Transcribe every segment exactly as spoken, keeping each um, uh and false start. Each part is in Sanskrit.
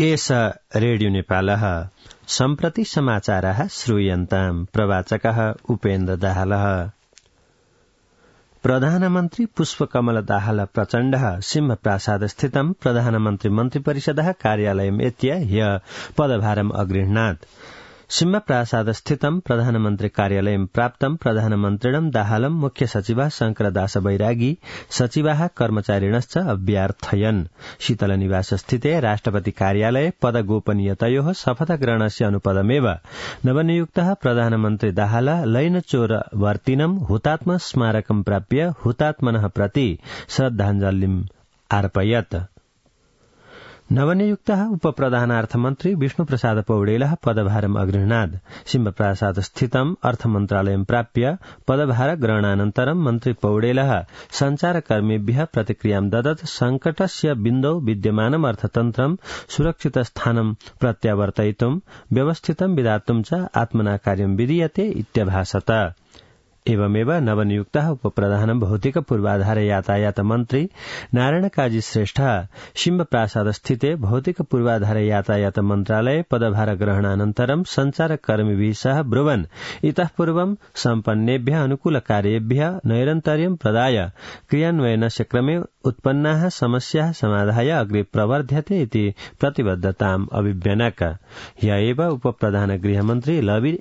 एष रेडियो नेपालः सम्प्रति समाचारः श्रूयन्ताम्। प्रवाचकः उपेन्द्र दाहालः। प्रधानमन्त्री पुष्पकमल दाहाल प्रचण्डः सिंहप्रासाद स्थितं प्रधानमन्त्री मन्त्रिपरिषदः कार्यालयम् एत्य ह्य पदभारम् अगृह्णात्। सिंहप्रासाद स्थितं प्रधानमन्त्री कार्यालयं प्राप्तं प्रधानमन्त्रिणं दाहालं मुख्य सचिवः शंकरदास बैरागी सचिवाः कर्मचारिणश्च अभ्यार्थयन्। शीतलनिवास स्थिते राष्ट्रपति कार्यालये पदगोपनीयतयोः शपथग्रहणस्य अनुपदमेव नवनियुक्तः प्रधानमन्त्री दाहाल लैनचोरवर्तिनं हुतात्म स्मारकं प्राप्य हुतात्मनः प्रति श्रद्धाञ्जलिम् अर्पयत्। नवनियुक्तः उपप्रधानार्थमन्त्री विष्णुप्रसाद पौडेलः पदभारम् अगृह्णात्। सिंहप्रासाद स्थितम् अर्थमन्त्रालयं प्राप्य पदभार ग्रहणानन्तरं मन्त्री पौडेलः सञ्चारकर्मिभ्यः प्रतिक्रियां ददत्। संकटस्य बिन्दौ विद्यमानम् अर्थतन्त्रं सुरक्षितस्थानं प्रत्यावर्तयितुं व्यवस्थितं विधातुं च आत्मना कार्यं विधीयते इत्यभाषत। एवमेव नवनियुक्तः उपप्रधान भौतिक पूर्वाधार यातायात मन्त्री नारायण काजी श्रेष्ठ सिंहप्रासाद स्थिते भौतिक पूर्वाधार यातायात मन्त्रालये पदभार ग्रहणानन्तरं सञ्चारकर्मिभिः सह ब्रुवन् इतः पूर्वं सम्पन्नेभ्यः अनुकूलकार्येभ्यः नैरन्तर्यं प्रदाय क्रियान्वयनस्य क्रमे उत्पन्नाः समस्याः समाधाय अग्रे प्रवर्ध्यते इति प्रतिबद्धताम् अभिव्यनक। ह्य एव उपप्रधान गृहमन्त्री लवि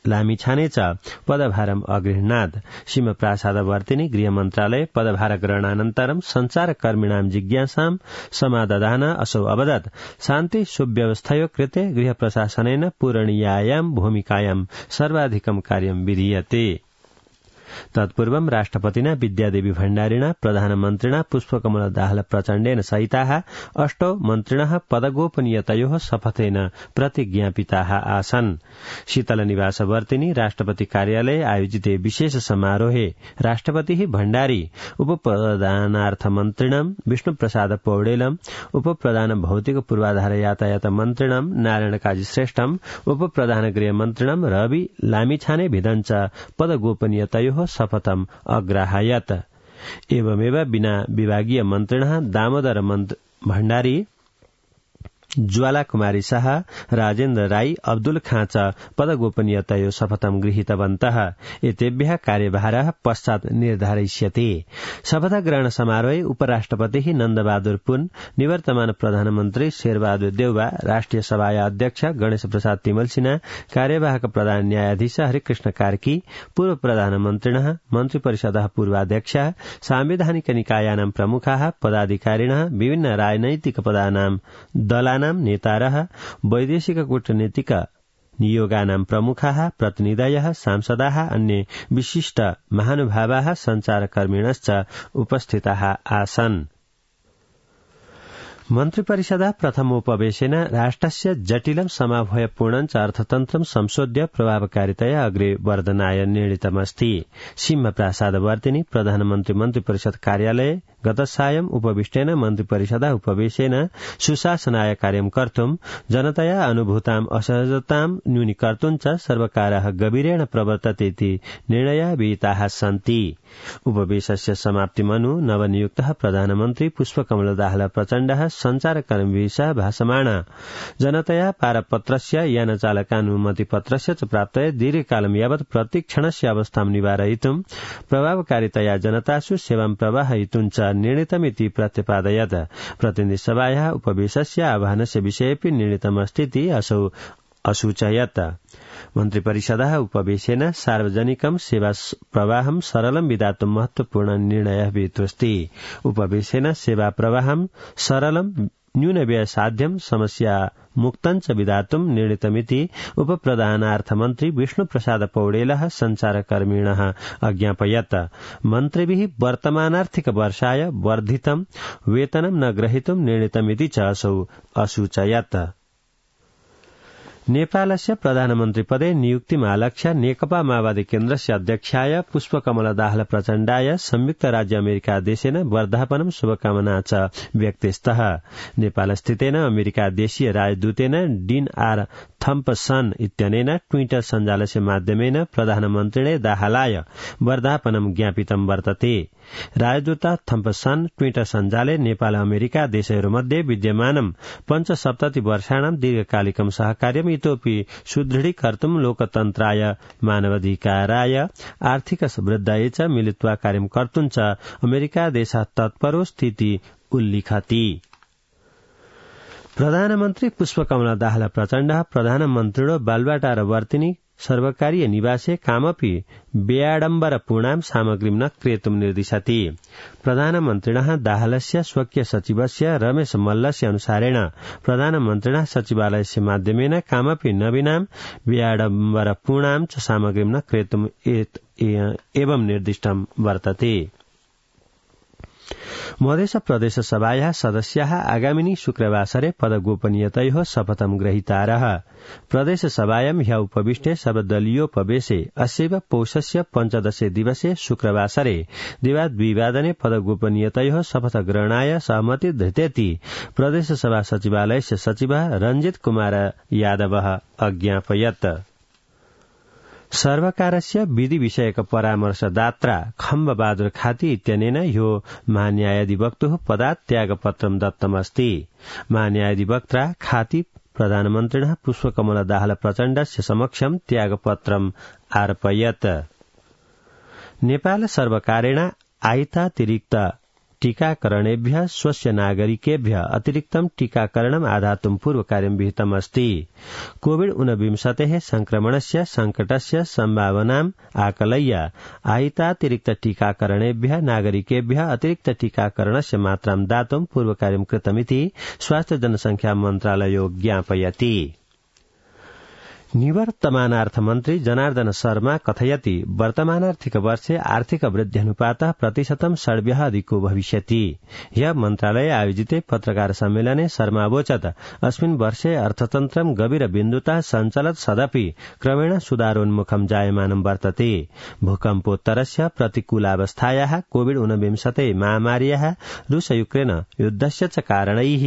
लामिछाने च पदभारम् अगृह्णात्। सिंहप्रासादवर्तिनि गृहमन्त्रालये पदभार ग्रहणानन्तरं सञ्चारकर्मिणां जिज्ञासां समादधान असौ अवदत्। शान्ति सुव्यवस्थयो कृते गृहप्रशासनेन पूरणीयायां भूमिकायां सर्वाधिकं कार्यं विधीयते। तत्पूर्वं राष्ट्रपतिना विद्यादेवी भण्डारिणा प्रधानमन्त्रिणा पुष्पकमल दाहाल प्रचण्डेन सहिताः अष्टौ मन्त्रिणः पदगोपनीयतयोः शपथेन प्रतिज्ञापिताः आसन्। शीतलनिवासवर्तिनि राष्ट्रपति कार्यालये आयोजिते विशेष समारोहे राष्ट्रपतिः भण्डारी उपप्रधानार्थमन्त्रिणं विष्णुप्रसाद पौडेलम् उपप्रधान भौतिक पूर्वाधार यातायात मन्त्रिणं नारायण काजी श्रेष्ठम् उपप्रधान गृहमन्त्रिणं रवि लामिछाने भिदञ्च पदगोपनीयतयोः शपथम् अग्राहयत्। एवमेव विना विभागीय मन्त्रिणः दामोदर भण्डारी ज्वाला कुमारी शाह राजेन्द्र राई अब्दुल खाँ च पदगोपनीयतयो शपथं गृहीतवन्तः। एतेभ्यः कार्यभारः पश्चात् निर्धारयिष्यते। शपथग्रहण समारोहे उपराष्ट्रपतिः नन्दबहादुर पुन निवर्तमान प्रधानमन्त्री शेरबहादुर देउवा राष्ट्रिय सभाया अध्यक्ष गणेश प्रसाद तिमल सिन्हा कार्यवाहक प्रधान न्यायाधीश हरिकृष्ण कार्की पूर्व प्रधानमन्त्रिणः मन्त्रिपरिषदः पूर्वाध्यक्षः सांविधानिक निकायानां प्रमुखाः पदाधिकारिणः विभिन्न राजनैतिक पदानां दलानां नेतारः वैदेशिक कूटनीतिक नियोगानां प्रमुखाः प्रतिनिधयः सांसदाः अन्ये विशिष्ट महानुभावाः सञ्चारकर्मिणश्च उपस्थिताः आसन्। मन्त्रिपरिषदः प्रथमोपवेशेन राष्ट्रस्य जटिलं समाभयपूर्णं च अर्थतन्त्रं संशोध्य प्रभावकारितया अग्रे वर्धनाय निर्णीतमस्ति। सिंहप्रासादवर्तिनि प्रधानमन्त्री मन्त्रिपरिषद कार्यालये गतसायं उपविष्टेन मन्त्रिपरिषदः उपवेशेन सुशासनाय कार्यं कर्तुं जनतया अनुभूतां असहजतां न्यूनीकर्तुं च सर्वकारः गभीरेण प्रवर्तते इति निर्णयाः विहिताः सन्ति। उपवेशस्य समाप्तिमनु नवनियुक्तः प्रधानमन्त्री पुष्पकमल दाहाल प्रचण्डः सञ्चारकर्मिभिः सह भाषमाण जनतया पारपत्रस्य यानचालकानुमतिपत्रस्य च प्राप्तये दीर्घकालं यावत् प्रतीक्षणस्य अवस्थां निवारयितुं प्रभावकारितया जनतासु सेवां प्रवाहयितुं च निर्णीतमिति प्रत्यपादयत्। प्रतिनिधिसभायाः उपवेशस्य आह्वानस्य विषयेऽपि निर्णीतमस्तीति असौ असूचयत्। मन्त्रिपरिषदः उपवेशेन सार्वजनिकं सेवा प्रवाहं सरलं विधातुं महत्वपूर्ण निर्णयः विहितोऽस्ति। उपवेशेन सेवा प्रवाहं सरलं न्यूनव्ययसाध्यं समस्या मुक्तं च विधातुं निर्णीतमिति उपप्रधानार्थमन्त्री विष्णुप्रसाद पौडेलः सञ्चारकर्मिणः अज्ञापयत्। मन्त्रिभिः वर्तमानार्थिक वर्षाय वर्धितं वेतनं न ग्रहीतुं निर्णीतमिति च असौ असूचयत्। नेपालस्य प्रधानमन्त्रिपदे नियुक्तिमालक्ष्य नेकपा माओवादी केन्द्रस्य अध्यक्षाय पुष्पकमल दाहाल प्रचण्डाय संयुक्त राज्य अमेरिका देशेन वर्धापनं शुभकामना च व्यक्तेस्तः। नेपालस्थितेन अमेरिका देशीय राजदूतेन डीन आर थम्पसन इत्यनेन ट्विटर सञ्जालस्य माध्यमेन प्रधानमन्त्रिणे दाहालाय वर्धापनं ज्ञापितं वर्तते। राजदूत थम्पसन ट्विटर सञ्जाले नेपाल अमेरिका देशहरूमध्ये विद्यमानं पञ्चसप्तति वर्षाणां दीर्घकालिकं सहकार्यम् इतोपि सुदृढीकर्तुं लोकतन्त्राय मानवाधिकाराय आर्थिक वृद्धाय च मिलित्वा कार्यं कर्तुं च अमेरिका देशः तत्परो स्थिति उल्लिखति। प्रधानमन्त्री पुष्पकमल दाहाल प्रचण्ड प्रधानमन्त्रिणो बालुवाटार वर्तिनी सर्वकारीय निवासे कामपि व्याडम्बरपूर्णां सामग्रीं न क्रेतुं निर्दिशति। प्रधानमन्त्रिणः दाहालस्य स्वकीय सचिवस्य रमेश मल्लस्य अनुसारेण प्रधानमन्त्रिणः सचिवालयस्य माध्यमेन कामपि नवीनां व्याडम्बरपूर्णां च सामग्रीं न क्रेतुं एवं निर्दिष्टं वर्तते। मधेस प्रदेश सभायाः सदस्याः आगामिनी शुक्रवासरे पदगोपनीयतयोः शपथं ग्रहीतारः। प्रदेश सभायां ह्य उपविष्टे सर्वदलीयोपवेशे अस्यैव पौषस्य पञ्चदशे दिवसे शुक्रवासरे दिवाद्विवादने पदगोपनीयतयोः शपथग्रहणाय सहमति धृतेति प्रदेश सभा सचिवालयस्य सचिवः रञ्जित कुमार यादवः अज्ञापयत्। सर्वकारस्य विधि विषयक परामर्शदात्रा खम्बबहादुर खाती इत्यनेन ह्यो महान्यायाधिवक्तुः पदात् त्यागपत्रं दत्तमस्ति। महान्यायाधिवक्त्रा खाती प्रधानमन्त्रिणः पुष्पकमल दाहाल प्रचण्डस्य समक्षं त्यागपत्रम् अर्पयत्। नेपाल सर्वकारेण आयतातिरिक्त टीकाकरणेभ्यः स्वस्य नागरिकेभ्यः अतिरिक्तं टीकाकरणम् आधातुं पूर्वकार्यं विहितमस्ति। कोविड ऊनविंशतेः संक्रमणस्य संकटस्य सम्भावनाम् आकलय्य आहितातिरिक्त टीकाकरणेभ्यः नागरिकेभ्यः अतिरिक्त टीकाकरणस्य मात्रां दातुं पूर्वकार्यं कृतमिति स्वास्थ्य जनसंख्या मन्त्रालयो ज्ञापयति। निवर्तमानार्थमन्त्री जनार्दन शर्मा कथयति वर्तमानार्थिक वर्षे आर्थिक वृद्ध्यनुपातः प्रतिशतं षड्भ्यः अधिको भविष्यति। ह्यः मन्त्रालये आयोजिते पत्रकार सम्मेलने शर्मा अवोचत् अस्मिन् वर्षे अर्थतन्त्रं गभीरबिन्दुतः सञ्चलत् सदपि क्रमेण सुधारोन्मुखं जायमानं वर्तते। भूकम्पोत्तरस्य प्रतिकूलावस्थायाः कोविड ऊनविंशते महामार्याः रूस यूक्रेन युद्धस्य च कारणैः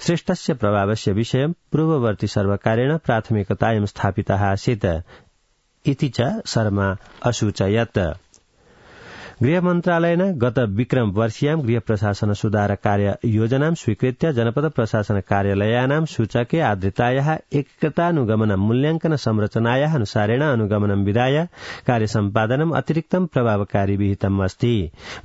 सृष्टस्य प्रभावस्य विषयं पूर्ववर्ती सर्वकारेण प्राथमिकतायां स्थापितः आसीत् इति च शर्मा असूचयत्। गृहमन्त्रालयेन गत विक्रम वर्षीयां गृह प्रशासन सुधार कार्य योजनां स्वीकृत्य जनपद प्रशासन कार्यालयानां सूचके आर्द्रतायाः एकतानुगमनं मूल्याङ्कन संरचनायाः अनुसारेण अनुगमनं विधाय कार्य सम्पादनम् अतिरिक्तं प्रभावकारी विहितम् अस्ति।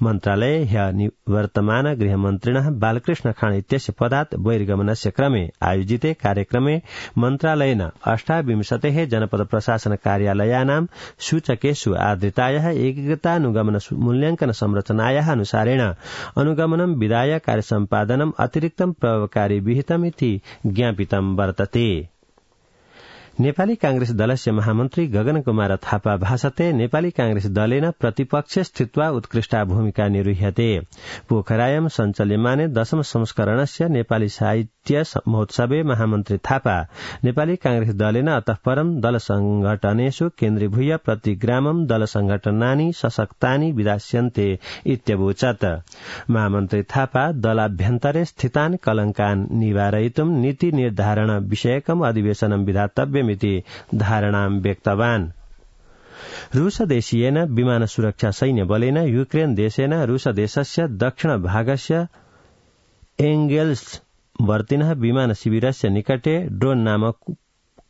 मन्त्रालये ह्यः निवर्तमान गृहमन्त्रिणः बालकृष्ण खाँड इत्यस्य पदात् बहिर्गमनस्य क्रमे आयोजिते कार्यक्रमे मन्त्रालयेन अष्टाविंशतेः जनपद प्रशासन कार्यालयानां सूचकेषु आर्द्रतायाः एकतानुगमन मूल्याङ्कन संरचनायाः अनुसारेण अनुगमनं विधाय कार्यसम्पादनम् अतिरिक्तं प्रभावकारी विहितमिति ज्ञापितं वर्तते। नेपाली कांग्रेस दलस्य महामन्त्री गगन कुमार थापा भाषते नेपाली कांग्रेस दलेन प्रतिपक्षे स्थित्वा उत्कृष्टा भूमिका निर्वह्यते। पोखरायां सञ्चाल्यमाने दशम संस्करणस्य नेपाली साहित्य महोत्सवे महामन्त्री थापा नेपाली कांग्रेस दलेन अतः परं दल संघटनेषु केन्द्रीभूय प्रतिग्रामं दल संघटनानि सशक्तानि विधास्यन्ते इत्यवोचत्। महामन्त्री थापा दलाभ्यन्तरे स्थितान् कलङ्कान् निवारयितुं नीति निर्धारण विषयकम् अधिवेशनं विधातव्यम् इति धारणां व्यक्तवान्। रूस देशीयेन विमान सुरक्षा सैन्य बलेन यूक्रेन देशेन रूस देशस्य दक्षिण भागस्य एंगेल्स वर्तिनः विमान शिविरस्य निकटे ड्रोन नामक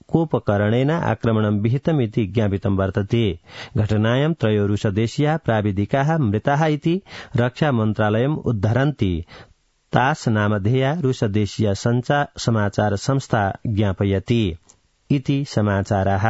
कोपकरणेन आक्रमणं विहितमिति ज्ञापितं वर्तते। घटनायां त्रयो रूस देशीयाः प्राविधिकाः मृताः इति रक्षा मन्त्रालयम् उद्धरन्ति तास नामधेया रूस देशीय समाचार संस्था ज्ञापयति इति समाचाराः।